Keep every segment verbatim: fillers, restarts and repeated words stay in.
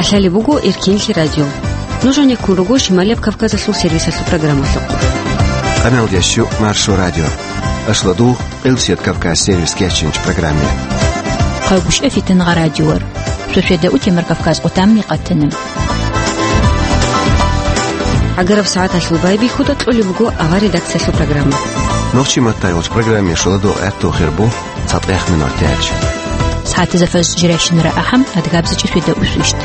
Лъалеб буго Эркенлъи радио. Нуж гьанеккун руго Шималияб Кавказалъул сервисалъул программалъухъ. Къамел ящу Маршо радио. Ашладу Къилсият Кавказ сервис кечинч программе. Хъайгъушъа фитнагъа радиор. Шошеда утемар Кавказ къутамни къатана. Агараб сагӀаталъул байбихьуда кьолеб буго авар редакциялъул программа. Нохчи маттайолч программе шуладо гӀатту хирбу. ЦатӀех минутач. СагӀатизафаз жирайщинара ахӀам, адгабзичӀи фида усвищт.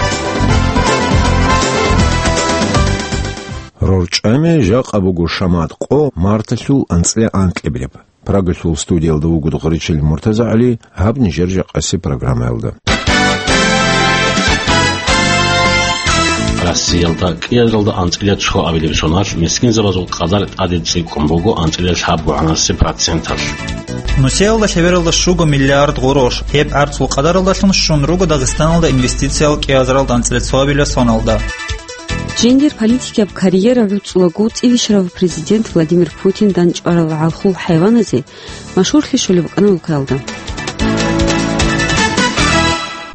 РорчӀами жакъа буго шамат къо марталъул анцӀила анкьабилеб. Прагалъул студиялда вуго Гъричил МуртазагӀали, гьаб нижер жакъаси программаялда. Россиялда кӀиазаралда анцӀила цо абилеб соналъ мискинзабазул къадар тӀаде цӀикӀкӀун буго анцӀила лъабгогӀанаси проценталъ. Нусиялда лъебералда щуго миллиард гъорош, гьеб гӀарцул къадаралдалъун щун руго Дагъистаналда инвестициял кӀиазаралда анцӀила цо абилеб соналда. Жиндир политикияб карьера гӀуцӀулаго цӀибищарав президент Владимир Путин данчӀварал гӀалхул хӀайваназе машгьурлъи щолеб букӀана улкаялда.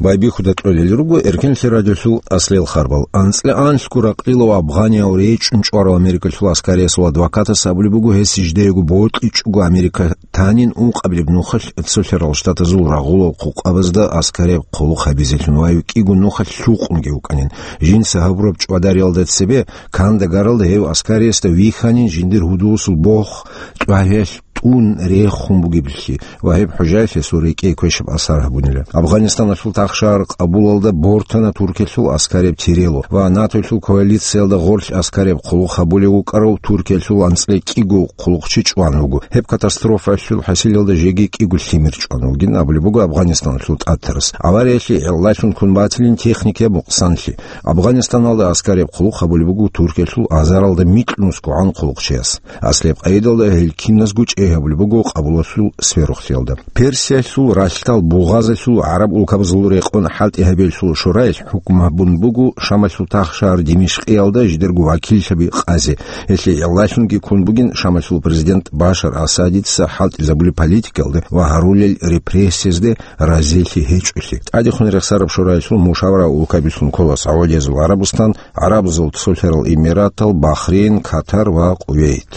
Байбихьуда кьолел руго Эркенлъи радиолъул аслел харбал. АнцӀила анлъго ракълилав афганияв речӀчӀун чӀварав Америкалъул аскариясул адвокатас абулеб буго, гьес жидеего бокьичӀого Америка танин ункъабилеб нухалъ Цолъарал Штатазул рагъулал хъукъабазда аскарияб хъулухъ гьабизелъун ва кӀиго нухалъ лъукъунги вукӀанин. Жинца гьабураб чӀвадариялда цебе Кандагаралда гьев аскариясда вихьанин жиндир гьудулсул бохъ тӀвагьиялъ тӀун рехун бугеблъи ва гьеб хӀужаялъ гьесул рекӀее квешаб асар гьабунила. Афганистаналъул тахшагьар Къабулалда бортана Туркиялъул аскарияб тирело ва НАТОялъул коалициялда гъорлъ аскарияб хъулухъ гьабулев вукӀарав Туркиялъул анцӀила кӀиго хъулухъчи чӀван вуго. Гьеб катастрофаялъул хӀасилалда жеги кӀиго лъимер чӀван вугин абулеб буго Афганистаналъул тӀатарас. Авариялъе гӀиллалъун ккун батилин техникия мукъсанлъи. Афганистаналда аскарияб хъулухъ гьабулеб буго Туркиялъул азаралда микьнусгогӀан хъулухъчияс. Аслияб къайдалда гьел киназго чӀей гьабулеб буго Къабулалъул сверухълъиялда. Персиялъул ралъдал бугъазалъул гӀараб улкабазул рекъон хӀалтӀи гьабиялъул шораялъ хӀукму гьабун буго Шамалъул тахшагьар Димишкъиялда жидерго вакиллъаби къазе. Гьелъие гӀиллалъунги ккун бугин Шамалъул президент Башар Асадица хӀалтӀизабулеб политикаялда ва гьарулел репрессиязде разилъи гьечӀолъи. ТӀадехун рехсараб шораялъул мушавара улкабилъун ккола СагӀудиязул ГӀарабустан, ГӀарабзул Цолъарал Эмиратал, Бахрейн, Катар ва Кувейт.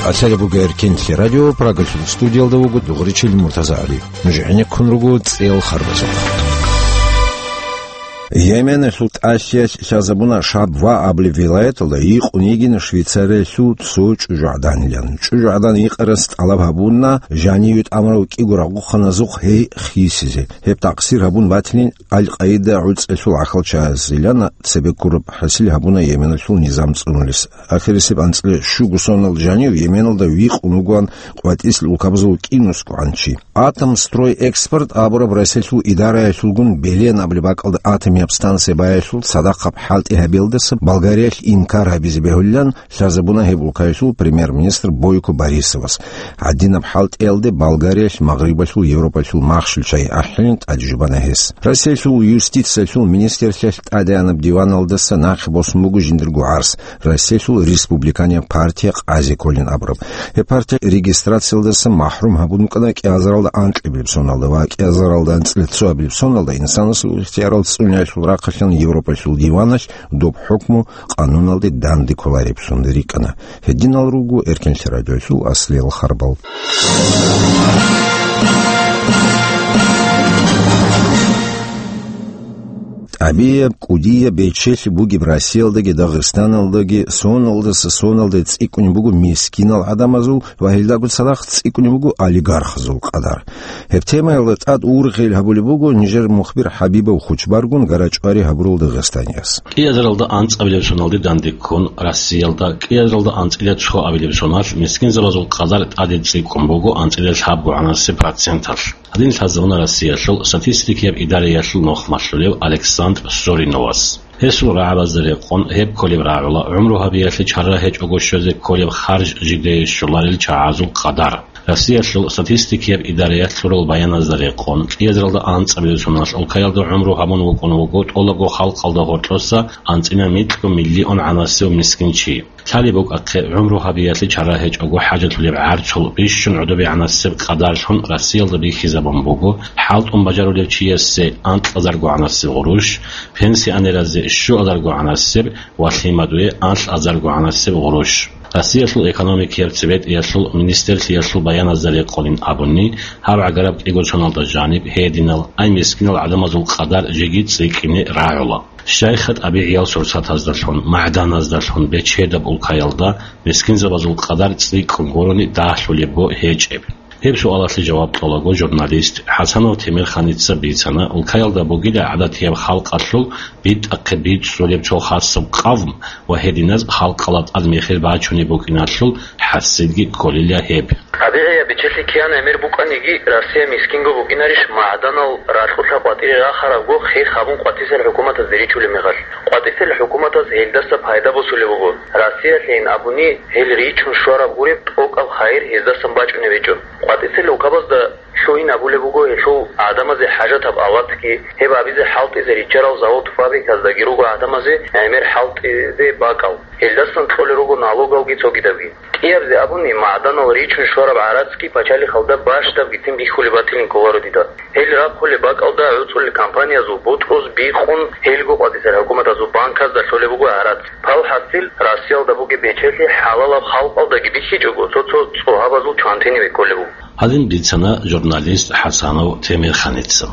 Къасалеб буго Эркенлъи радио, Прагалъул студиялда вуго Дугъричил МуртазагӀали. Нуж гӀенеккун руго цӀел харбазухъ. Йеменалъул тӀалъиялъ лъазабуна Шабва абулеб вилаяталда, йикъун йигин Швейцариялъул цо чӀужугӀаданилан. ЧӀужугӀадан йикъарас тӀалаб гьабуна жаниве тӀамурав кӀиго рагъухъаназухъ гьей хисизе. Гьеб такъсир гьабун батилин Аль-Къаида гӀуцӀелъул гӀахьалчагӀазилан цебе ккураб хӀасил гьабуна Йеменалъул низам цӀунулес. Ахирисеб анцӀила щуго сонал жанив Йеменалда викъун вугоан къватӀислъи улкабазул кӀинусгогӀан чи. «Атомстройэкспорт» абураб Россиялъул идараялъулгун Белен абулеб бакӀалда атомияб станция баялъул цадахъаб хӀалтӀи гьабиялдаса Болгариялъ инкар гьабизе бегьулилан лъазабуна гьеб улкаялъул премьер-министр Бойко Борисовас. Гьадинаб хӀалтӀиялде Болгариялъ Магърибалъул Европалъул махщел чагӀи ахӀилин тӀадежубана гьес. Россиялъул юстициялъул министрлъиялъ тӀадегӀанаб диваналдаса нахъе босун буго жиндирго гӀарс, Россиялъул республиканияб партия «Къазе кколин» абураб. Гьеб партия регистрациялдаса махӀрум гьабун букӀана кӀиазаралда анкьабилеб соналда ва кӀиазаралда анцӀила цоабилеб соналда инсанасул ихтиярал цӀуниялъул рахъалъан Европалъул диваналъ доб хӀукму къануналде данде кколареблъун рикӀкӀана. Гьединал руго Эркенлъи радиоялъул аслиял харбал. ТӀабияб, кӀудияб, бечелъи бугеб Россиялдаги Дагъистаналдаги соналдаса соналде цӀикӀкӀунеб буго мискинал гӀадамазул ва гьелдаго цадахъ цӀикӀкӀунеб буго олигархазул къадар. Гьеб темаялда тӀад ургъел гьабулеб буго нижер мухбир ХӀабибов Хучбаргун ГарачӀвари гьабурал Дагъистанияс. КӀиазаралда анцӀабилеб соналде данде ккун, Россиялда кӀиазаралда анцӀила цоабилеб соналъ мискинзабазул къадар тӀаде цӀикӀкӀун буго анцӀила лъабгогӀанаси проценталъ. Гьадин лъазабуна Россиялъул статистикияб идараялъул нухмалъулев Александр Сориновас. Гьесул рагӀабазда рекъон гьеб кколеб рагӀула гӀумру гьабиялъе чара гьечӀого щвезе кколеб харж жидее щоларел чагӀазул къадар. Россиялъул статистикияб идараялъ лъурал баяназда рекъон, кӀиазаралда анцӀабилеб соналъ улкаялда гӀумру гьабун вукӀун вуго тӀолабго халкъалда гьоркьоса анцӀила микьго миллион гӀанасев мискин чи. Лъалеб букӀахъе, гӀумру гьабиялъе чара гьечӀого хӀажалъулеб гӀарцул бищун гӀодобегӀанасеб къадарлъун Россиялда бихьизабун буго, хӀалтӀун бажарулев чиясе анкьазарго гӀанасеб гъурущ, пенсионеразе щуазарго гӀанасеб ва лъимадуе анлъазарго гӀанасеб гъурущ. Россиялъул экономикияб цебетӀиялъул министрлъиялъул баяназда рекъонин абуни, гьаб гӀагараб кӀиго соналда жаниб гьединал ай мискинал гӀадамазул къадар жеги цӀикӀкӀине рагӀула. Щайха тӀабигӀиял сурсатаздалъун, магӀданаздалъун бечедаб улкаялда мискинзабазул къадар цӀикӀкӀун гурони дагьлъулебго гьечӀеб? Гьеб суалалъе жаваб кьолаго журналист ХӀасанов Темирханица бицана, улкаялда бугила гӀадатияб халкъалъул битӀахъе бицӀцӀулеб цо хасаб къавм ва гьединаз халкъала тӀад мехир бачунеб букӀиналъул хӀасилги кколила гьеб. ТӀабигӀияб бечелъи киян гӀемер букӀаниги, Россия мискинго букӀинарищ магӀданал ракьулъа къватӀире рахарабго хер гьабун къватӀисел хӀукуматазде ричулеб мехалъ? КъватӀисел хӀукуматаз гьелдаса пайда босулеб буго. Россиялъейин абуни, гьел ричун щвараб гуреб тӀокӀаб хайир гьездасан бачӀунеб гьечӀо. КъватӀисел улкабазда лъугьин абулеб буго гьелъул гӀадамазе хӀажатаб аватги, гьеб абизе хӀалтӀизе риччарал завод-фабриказдаги руго гӀадамазе гӀемер хӀалтӀизе бакӀал. Гьелдасан кьолел руго налогалги цогидабги. КӀиябизе абуни, магӀданал ричун щвараб гӀарацги пачалихъалда бащдаб гицин бихьулеб батилин кколаро дида. Гьел рахъулеб бакӀалда гӀуцӀулел компаниязул бутӀруз бикъун, гьелго къватӀисел хӀукуматазул банказда лъолеб буго гӀарац. Пал хӀасил, Россиялда бугеб бечелъи хӀалалаб халкъалдаги бихьичӀого, цо-цо цӀогьабазул чвантиниве кколеб буго. Гьадин бицана журналист ХӀасанов Темирханица.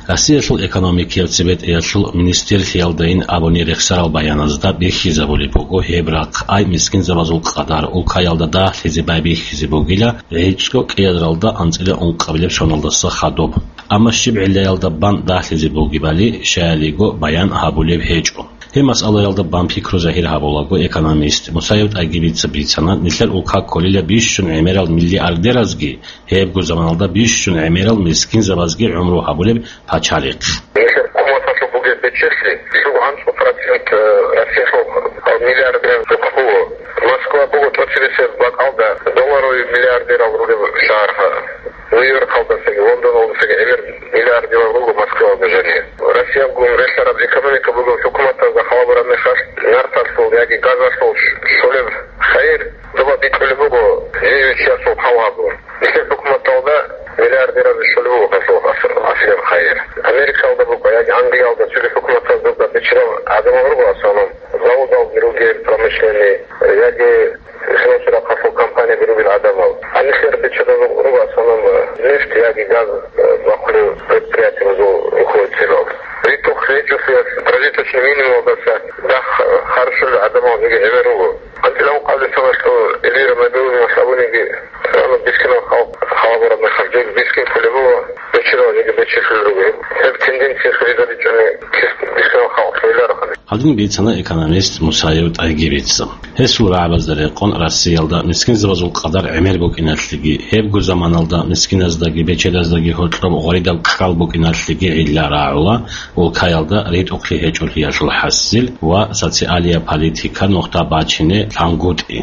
Россиялъул экономикиял цебетӀиялъул министрлъиялдайин абуни рехсарал баяназда бихьизабулеб буго гьеб рахъ, ай мискинзабазул къадар улкаялда дагьлъизе байбихьизе бугила гӀицӀго кӀиазаралда анцӀила ункъабилеб соналдаса хадуб. Амма щиб гӀиллаялда бан дагьлъизе бугебали щаялиго баян гьабулеб гьечӀо. Гьеб масъалаялда бан пикру загьир гьабулаго экономист Мусаев ТӀагибица бицана, нилъер улка кколила бищун гӀемерал миллиардеразги, гьебго заманалда бищун гӀемерал мискинзабазги гӀумру гьабулеб пачалихъ. Нилъер хъуматалъуб бугеб бечелъи лъугӀан цӀу процент, э, Россиялъул миллиардер буго. Москва буго тӀоцебесеб бакӀалда долларовый миллиардерал ругеб шагьар. Нью-Йоркалдасаги, Лондоналдасаги гӀемер миллиардерал руго Москвалда жанир. Россиялгун релълъараб экономика бугеб хӀукуматазда халабураб мехалъ, нарталъул яги газалъул щолеб хайир доба бикьулеб буго жив чиясул хъалгьабун. Нилъер хӀукуматалда миллиардеразе щолеб буго гьалъул аср-, асилаб хайир. Америкалда буго яги Англиялда цоги хӀукуматазда биччарал гӀадамал руго, в основном, заводалги ругел, промышленный, яги Гьелъул рахъалъул компанияб ругел гӀадамал. Гьаниб нилъер бечедазул руго, в основном, нефть яги газ, э, бахъулел предприятиябазул ругьуцӀилал. РитӀухълъи гьечӀолъиялъ прожиточный минимумалдаса дагь, э, харжулел гӀадамал жеги гӀемер руго. АнцӀила ункъабилеб соналъул Эльвира Набиуллина абуниги, Рано бискинал халкъ халабураб мехалъ, жеги бискин кколеб буго, бечедал жеги бечелъулел руго. Гьеб тенденция хвезабичӀони, бискинал халкъ хвеларухъан. Гьадин бицана экономист Мусаев ТӀагибица. Гьесул рагӀабазда рекъон Россиялда мискинзабазул къадар гӀемер букӀиналъеги, гьебго заманалда мискиназдаги бечедаздаги гьоркьоб гъваридаб ккал букӀиналъеги гӀилла рагӀула, улкаялда ритӀухълъи гьечӀолъиялъул хӀасил ва социалияб политика нухда бачине лъангутӀи.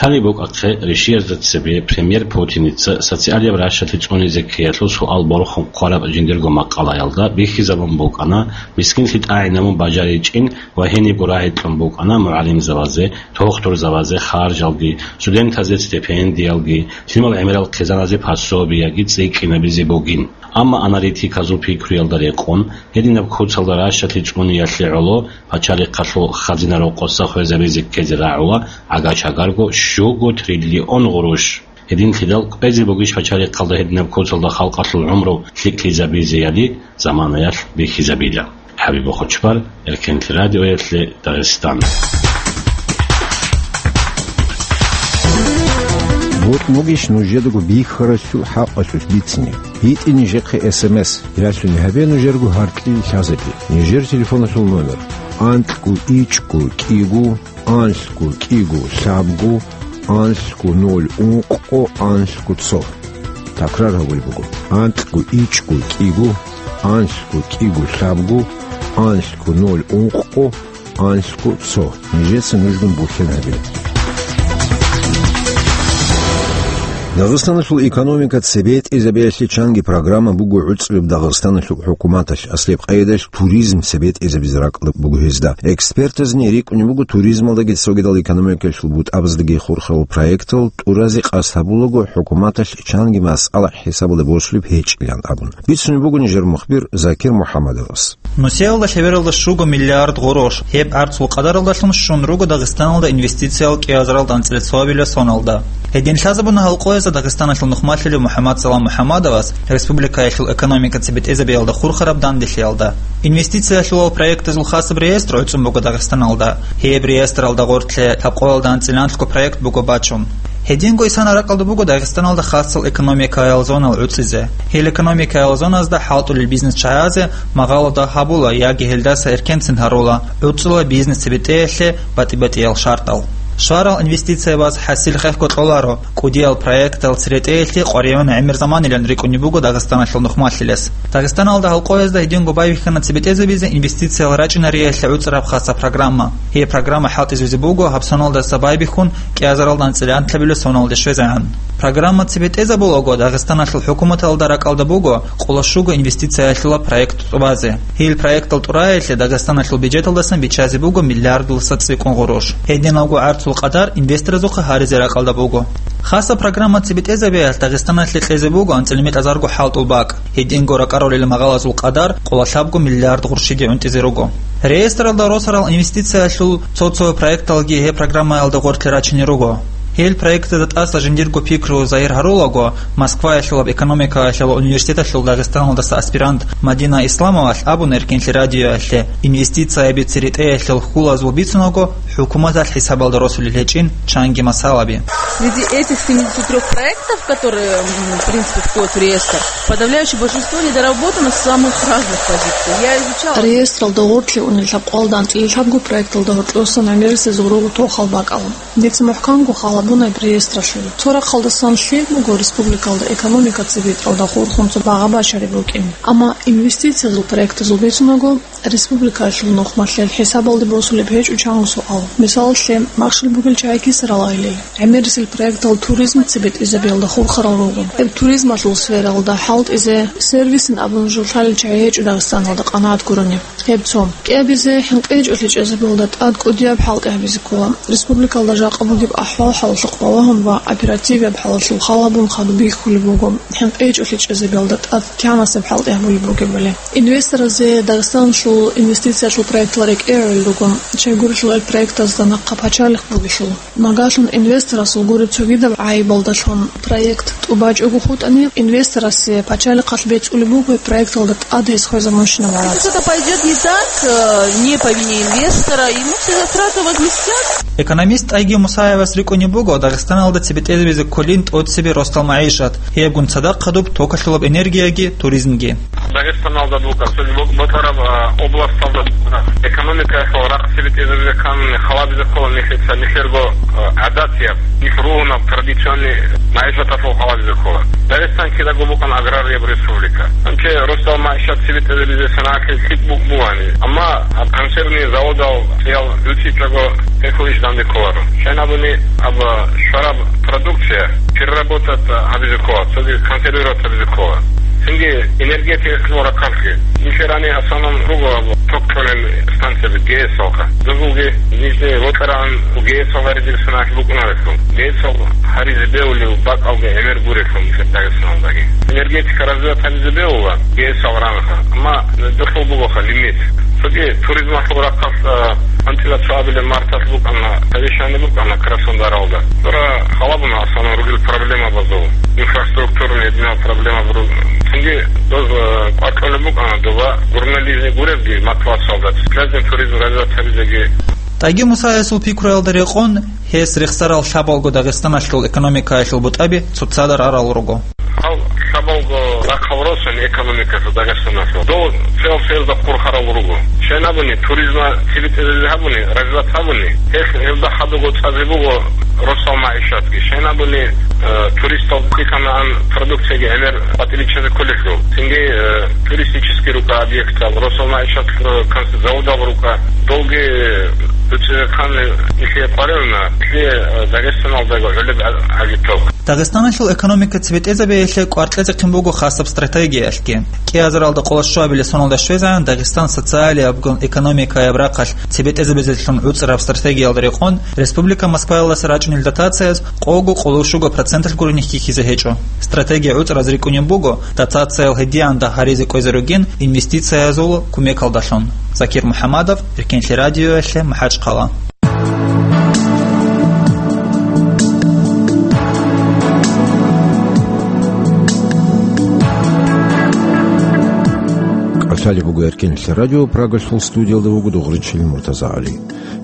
Лъалеб букӀахъе, ришиязда цебе премьер Путиница социалияб ращалъи цӀунизе ккеялъул суал борхун хъвараб жиндирго макъалаялда бихьизабун букӀана, мискинлъи тӀагӀинабун бажаричӀин ва гьенибго рагӀи кьун букӀана мугӀалимзабазе, тухтурзабазе харжалги, студентазе стипендиялги, лъимал гӀемерал хъизаназе пособияги цӀикӀкӀинабизе бугин. Амма аналитиказул пикруялда рекъон, гьединаб куцалда ращалъи цӀуниялъе гӀоло пачалихъалъул хазина рокъоса хвезабизе ккезе рагӀула гӀага-чагарго щуго триллион гъурущ. Гьединлъидал кӀвезе бугищ пачалихъалда гьединаб куцалда халкъалъул гӀумру лъикӀлъизабизеяли заманаялъ бихьизабила. ХӀабиб Бохочбар, Эркенлъи радиоялъе, Дагъистан. Бокь бугищ нужедаго бихьарасул хӀакъалъулъ бицине? ГьитӀе нижехъе эс эм эс, ялъуни гьабе нужерго гьаркьил лъазабе. Нижер телефоналъул номер: анкьго ичӀго кӀиго, анлъго кӀиго лъабго, анлъго ноль ункъго, анлъго цо. Такрар гьабулеб буго: анкьго ичӀго кӀиго, анлъго кӀиго лъабго, анлъго ноль ункъго, анлъго цо. Нижеца нужгун бухьен гьабе. Дагъистаналъул экономика цебетӀезабиялъе чанги программа буго гӀуцӀраб Дагъистаналъул хӀукуматалъ, аслияб къайдалъ туризм цебетӀезабизе ракӀалда буго гьезда. Экспертазни рикӀкӀунеб буго туризмалдаги цогидал экономикалъул бутӀабаздаги хурхарал проектал тӀуразе къасд гьабулаго хӀукуматалъ чанги масъала хӀисабалде босулеб гьечӀилан абун. Бицунеб буго нижер мухбир Закир МухӀаммадовас. Нусиялда лъебералда щуго миллиард гъурущ, гьеб гӀарцул къадаралдалъун щун руго Дагъистаналда инвестициял кӀиазаралда анцӀила цоабилеб соналда. Гьедин лъазабуна гьал къоязда Дагъистаналъул нухмалъулев МухӀаммадсалам МухӀаммадовас республикаялъул экономика цебетӀезабиялда хурхараб данделъиялда. Инвестициялъулал проектазул хасаб реестр гӀуцӀун буго Дагъистаналда. Гьеб реестралда гъоркье лъабкъоялда анцӀила анлъго проект буго бачун. Гьединго исана ракӀалда буго Дагъистаналда хасал экономикаял зонал гӀуцӀизе. Гьел экономикаял зоназда хӀалтӀулел бизнес чагӀазе магъало дагь гьабула яги гьелдаса эркенцин гьарула гӀуцӀула бизнес цебетӀеялъе батӀи-батӀиял шартӀал. Щварал инвестициябаз хӀасил хехго кьоларо, кӀудиял проектал церетӀеялъе къваригӀун гӀемер заманилан рикӀкӀунеб буго Дагъистаналъул нухмалъилес. Дагъистаналда гьал къоязда гьединго байбихьана цебетӀезабизе инвестициял рачӀинариялъе гӀуцӀараб хаса программа. Гьеб программа хӀалтӀизабизе буго гьаб соналдаса байбихьун кӀиазаралда анцӀила анлъабилеб соналде щвезегӀан. Программа цебетӀезабулаго, Дагъистаналъул хӀукуматалда ракӀалда буго къоло щуго инвестициялъула проект тӀубазе. Гьел проектал тӀураялъе Дагъистаналъул бюджеталдасан биччазе буго миллиардуласа цӀикӀкӀун гъурущ. Гьединалго гӀарцул къадар инвесторазухъа гьаризе ракӀалда буго. Хаса программа цебетӀезабиялъ Дагъистаналъе кьезе буго анцӀила мекъазарго хӀалтӀул бакӀ. Гьединго ракӀарулел магъалазул къадар къоло лъабго миллиард гъурщиги гӀунтӀизе руго. Реестралда росарал инвестициялъул цо-цо проекталги гьеб программаялда гъоркье рачине руго. Гьел проектазда тӀаса жиндирго пикру загьир гьарулаго, Москваялъулаб экономикаялъул университеталъул Дагъистаналдаса аспирант Мадина Исламовалъ абуна Эркенлъи радиоялъе, инвестицияби церетӀеялъул хьулазул бицунаго, хӀукуматалъ хӀисабалда росулел гьечӀин чанги масалаби. Среди этих семидесяти трёх проектов, которые, м, в принципе, входят в реестр, подавляющее большинство недоработано с самых разных позиций. Я изучала. Реестралда гъоркье унел лъабкъоялда анцӀила лъабго проекталда гьоркьосан гӀемерисезул руго тохал бакӀал. Дица мухӀканго хал гьабуна гьеб реестралъул. Цо рахъалдасан лъил буго республикалда экономика цебетӀалда хурхун цо багъа бачараб букӀин. Амма инвестициязул проектазул бицунаго, республикаялъул нухмалъил хӀисабалде босулеб гьечӀо чанго суал. Мисалалъе, махщел бугел чагӀи кисаралайилан. ГӀемерисел проектал туризм цебетӀезабиялда хурхарал руго. Гьеб туризмалъул сфералда хӀалтӀизе, сервисин абун жо лъалел чагӀи гьечӀо Дагъистаналда къанагӀат гурони. Гьеб цо. КӀиабизе, хӀинкъичӀолъи чӀезабиялда тӀад кӀудияб хӀалтӀи гьабизе ккола. Республикалда жакъа бугеб ахӀвал-хӀалалъухъ балагьун ва оперативияб хӀалалъул хал гьабун хадуб бихьулеб буго, хӀинкъичӀолъи чӀезабиялда тӀад кӀиямасеб хӀалтӀи гьабулеб бугебали. Инвесторазе Дагъистаналъул инвестициялъул проектал рекӀее гӀоло руго, щайгурелъул гьел проектазда нахъа пачалихъ бугелъул. Магьалъун инвесторасул гуреб цогидаб гӀайибалдалъун проект тӀубачӀого хутӀани, инвесторасе пачалихъалъ бецӀулеб буго проекталда тӀад гьес хвезабунщинаб гьаракь. Если что-то пойдёт не так, э, не по вине инвестора, ему все затраты возместят. Экономист ТӀайги Мусаевас рикӀкӀунеб буго Дагъистаналда цебетӀезабизе кколин тӀоцебе росдал магӀишат, гьебгун цадахъ хадуб токалъулаб энергияги туризмги. Дагъистаналда буго, цоги бо-, ботараб, а, областалда буго. Экономикаялъул рахъ цебетӀезабизе ккани халабизе ккола нилъеца, нилъерго, а, гӀадатияб, нилъ ругьунаб традиционный магӀишаталъул халабизе ккола. Дагъистан кидаго букӀана аграрияб республика. Гьанже росдал магӀишат цебетӀезабизе санагӀалъе лъикӀ бу-, бугони. Амма гьаб консервный заводал цӀиял ручӀичӀого гьелъул иш данде кколаро. Щайин абуни, аб щвараб продукция переработать гьабизе ккола, цоги консервировать гьабизе ккола. Цинги энергетикалъул рахъалъе. Нилъерани асанан руго аб ток кьолел станцияби ГЭС-алха. Дозулги нижни вокьаран ГЭС-ал гьаризел санагӀалъ букӀунарелъул. ГЭС-ал гьаризе бегьулев бакӀалги гӀемер гурелъул нилъер Дагъистаналдаги. Энергетика развивать гьабизе бегьула ГЭС-ал ранха. Амма гьелъул бугоха лимит. Цоги туризмалъул рахъалъ, а, анцӀила цоабилеб марталъ букӀана, совещание букӀана Краснодаралда. Дора халабуна асана ругел проблемабазул, инфраструктурный гьединал проблемаб ру-, цинги доз, а, кӀвар кьолеб букӀана доба горнолижный гуребги Москвасалда, связный туризм развивать гьабизеги. ТӀайги Мусаевасул пикруялда рекъон, гьес рехсарал лъабалго Дагъистаналъул экономикаялъул бутӀаби цоцазда рарал руго. Гьал лъабалго рахъал росани экономикалъул Дагъистаналъул. Дов цел-целда хурхарал руго. Щайин абуни, туризма цебетӀезабизе гьабуни, развивать гьабуни, гьелъ гьелда хадуго цӀазе буго росдал магӀишатги. Щайин абуни, э, туристал кьиканаан продукцияги гӀемер батӀи биччазе кколелъул. Цинги, э, туристический рукӀа объектал, росдал магӀишат, э, конс-, заводал рукӀа. Довги, э, дуцӀизехъан нилъее къваригӀуна, нилъее, э, Дагъистаналдаго гӀолеб гӀа-, гӀагитал. Дагъистаналъул экономика цебетӀезабиялъе кӀвар кьезехъин буго хасаб стратегиялъги. КӀиазаралда къоло щуабилеб соналда щвезегӀан Дагъистан социалиябгун экономикаяб рахъалъ цебетӀезабизелъун гӀуцӀараб стратегиялда рекъон, республика Москваялдаса рачӀунел дотацияз къого къоло щуго проценталъ гурони хьихьизе гьечӀо. Стратегия гӀуцӀараз рикӀкӀунеб буго дотациял гьедигӀан гьаризе кӀвезе ругин инвестициязул кумекалдалъун. Закир МухӀамадов, Эркенлъи радиоялъе, МахӀачхъала. КӀалъалеб буго Эркенлъи радио, Прагалъул студиялда вуго Дугъричил МуртазагӀали.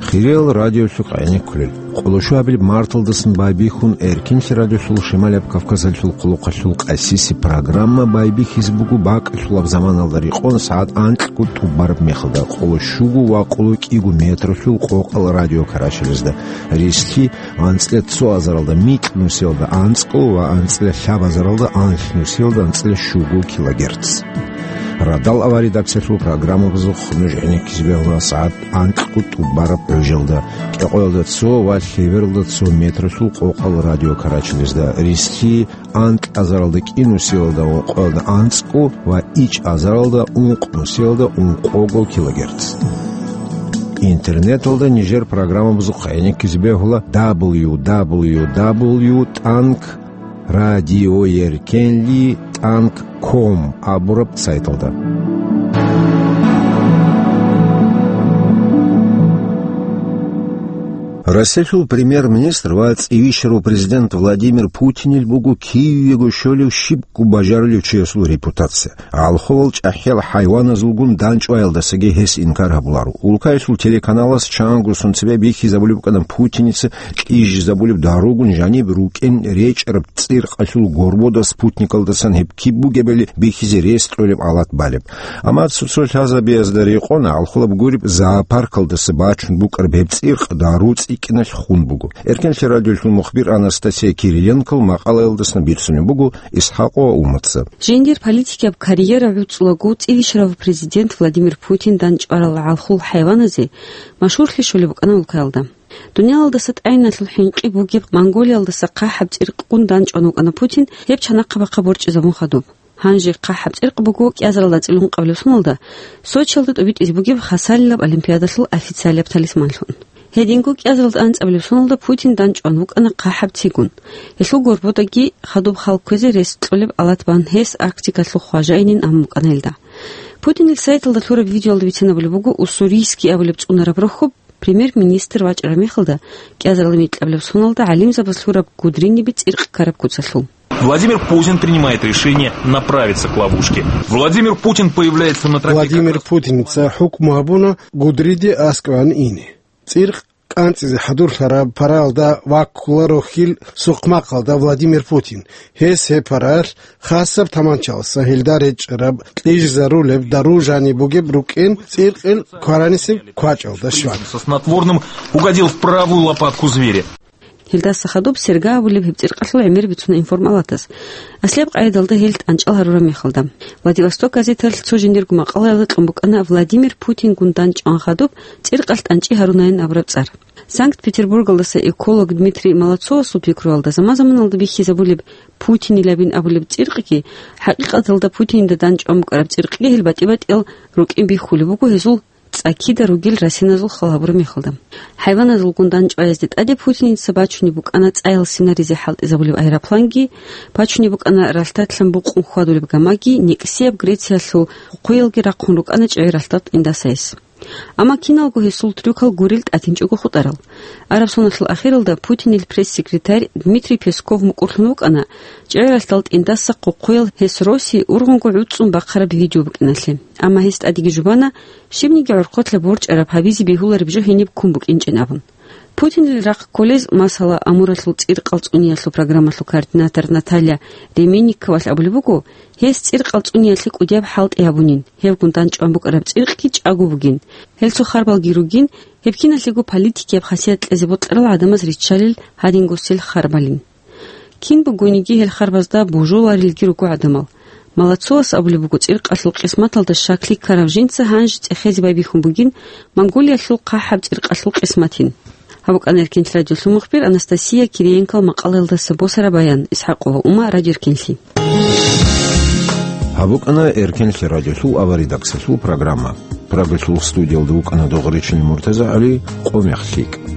Хириял радиолъухъ гӀенеккулел. Къоло щуабилеб марталдасан байбихьун Эркенлъи радиолъул Шималияб Кавказалъул хъулухъалъул къасиси программа байбихьизе буго бакӀалъулаб заманалда рекъон сагӀат анкьго тӀубараб мехалда, къоло щуго ва къоло кӀиго метралъул къокъал радиокарачалазда, рислъи анцӀила цо азаралда микь нусиялда анцӀго ва анцӀила лъабазаралда анлъ нусиялда анцӀила щуго килогерц. Радал аваридакциялъул программабазухъ нуж гӀенеккизе бегьула сагӀат анкьго тӀубараб гӀужалда, кӀикъоялда цо ва лъебералда цо метралъул къокъал радиокарачалазда, рислъи анкь азаралда кӀи нусиялда ункъоялда анцӀго ва ичӀ азаралда ункъ нусиялда ункъого килогерц. Интернеталда нижер программабазухъ гӀенеккизе бегьула дабл ю дабл ю дабл ю тӀанкӀ радиоеркенли тӀанкӀ ком абураб сайталда. Россиялъул премьер-министр ва цӀивищарав президент Владимир Путинил буго кивего щолев щибго бажарулев чиясул репутация. ГӀалхулал чӀахӀиял хӀайваназулгун данчӀваялдасаги гьес инкар гьабуларо. Улкаялъул телеканалас чанго сон цебе бихьизабулеб букӀана Путиница кьижизабулеб даругун жаниб рукӀин речӀараб цӀиркъалъул горбода спутникалдасан гьеб киб бугебали бихьизе рес кьолеб алат балеб. Амма цо-цо лъазабиязда рекъон гӀалхулаб гуреб зоопаркалдаса бачун букӀараб гьеб цӀиркъ дару цӀикӀкӀиналъ хун буго. Эркенлъи радиолъул мухбир Анастасия Кириенкол макъалаялдасан бицунеб буго Исхакъова Уматца. Жиндир политикияб карьера гӀуцӀулаго цӀивищарав президент Владимир Путин данчӀварал гӀалхул хӀайваназе машгьурлъи щолеб букӀана улкаялда. Дуниялалдаса тӀайиналъул хӀинкъи бугеб Монголиялдаса хъахӀаб цӀиркъгун данчӀван вукӀана Путин гьеб чанахъа-бахъа борчӀизабун хадуб. Гьанже хъахӀаб цӀиркъ буго кӀиазаралда анцӀила ункъабилеб соналда Сочиялда тӀобитӀизе бугеб хасалилаб олимпиадалъул официалияб талисманлъун. Гьединго кӀиазаралда анцӀабилеб соналда Путин данчӀван вукӀана хъахӀаб цигун. Гьелъул горбодаги хадуб хал кквезе рес кьолеб алат бан гьес Арктикалъул хважаинин абун букӀана гьелда. Путинил сайталда лъураб видеоялда бицинабулеб буго Уссурийский абулеб цӀунараб рохьоб, премьер-министр вачӀараб мехалда, кӀиазаралда микьабилеб соналда гӀалимзабаз лъураб гудриниби цӀиркъ ккараб куцалъул. Владимир Путин принимает решение направиться к ловушке. Владимир Путин появляется на тропе как Владимир раз Путиница хӀукму гьабуна гудриде аскӀове ине. ЦӀиркъ кӀанцӀизе хӀадурлъараб параялда ваккуларо хьил сухъмахъалда Владимир Путин. Гьес гьеб параялъ хасаб таманчалъа гьелда речӀараб кьижизарулеб дару жаниб бугеб рукӀин цӀиркъил кваранисеб квачӀалда щвана. Со снотворным угодил в правую лопатку зверя. Гьелдаса хадуб Серга абулеб гьеб цӀиркъалъул гӀемер бицуна информалатас. Аслияб къайдалда гьел тӀанчӀал гьарураб мехалда. Владивосток газеталъ цо жиндирго макъалаялда кьун букӀана Владимир Путингун данчӀван хадуб цӀиркъалъ тӀанчӀи гьарунаин абураб цӀар. Санкт-Петербургалдаса эколог Дмитрий Молодцовасул пикруялда, заман-заманалда бихьизабулеб Путинилабин абулеб цӀиркъги, хӀакъикъаталда Путинида данчӀван букӀараб цӀиркъги гьел батӀи-батӀиял рукӀин бихьулеб буго гьезул цӀакида ругел расиназул хал гьабураб мехалда. ХӀайваназулгун данчӀваязде тӀаде Путиница бачунеб букӀана цӀаял синаризе хӀалтӀизабулеб аэропланги, бачунеб букӀана ралъдалъан букъун хьвадулеб гамаги, некӀсияб Грециялъул хъухъуялги рахъун рукӀана чӀегӀер ралъдал тӀиндаса гьес. Амма киналго гьесул трюкал гурел тӀатинчӀого хутӀарал. Араб соналъул ахиралда Путинил пресс-секретарь Дмитрий Песков мукӀурлъун вукӀана, чӀегӀер ралъдал тӀиндаса хъухъуял гьес росизе ургъунго гӀуцӀцӀун бахъараб видео букӀиналъе. Амма гьес тӀадеги жубана, щибниги гӀорхъолъа борчӀараб гьабизе бегьулареб жо гьениб ккун букӀинчӀин абун. Путинил рахъ кколез, масала, Амуралъул цӀиркъал цӀуниялъул программалъул координатор Наталья Ременниковалъ абулеб буго, гьес цӀиркъал цӀуниялъе кӀудияб хӀалтӀи гьабунин, гьевгун данчӀван букӀараб цӀиркъги чӀаго бугин, гьел цо харбалги ругин, гьеб киналъего политикияб хасият кьезе бокьарал гӀадамаз риччалел гьадингосел харбалин. Кин бугониги гьел харбазда божуларелги руго гӀадамал. Молодцовас абулеб буго, цӀиркъалъул къисматалда щаклъи ккарав жинца гьанже цӀехезе байбихьун бугин Монголиялъул хъахӀаб цӀиркъалъул къисматин. Гьаб букӀана Эркенлъи радиолъул мухбир Анастасия Кириенкол макъалаялдаса босараб баян. ИсхӀакъова Ума, радиоэркенлъи. Гьаб букӀана Эркенлъи радиолъул аваридаксалъул программа. Прагалъул студиялда вукӀана Догъричилин МуртазагӀали, Къо мех лъикӀ.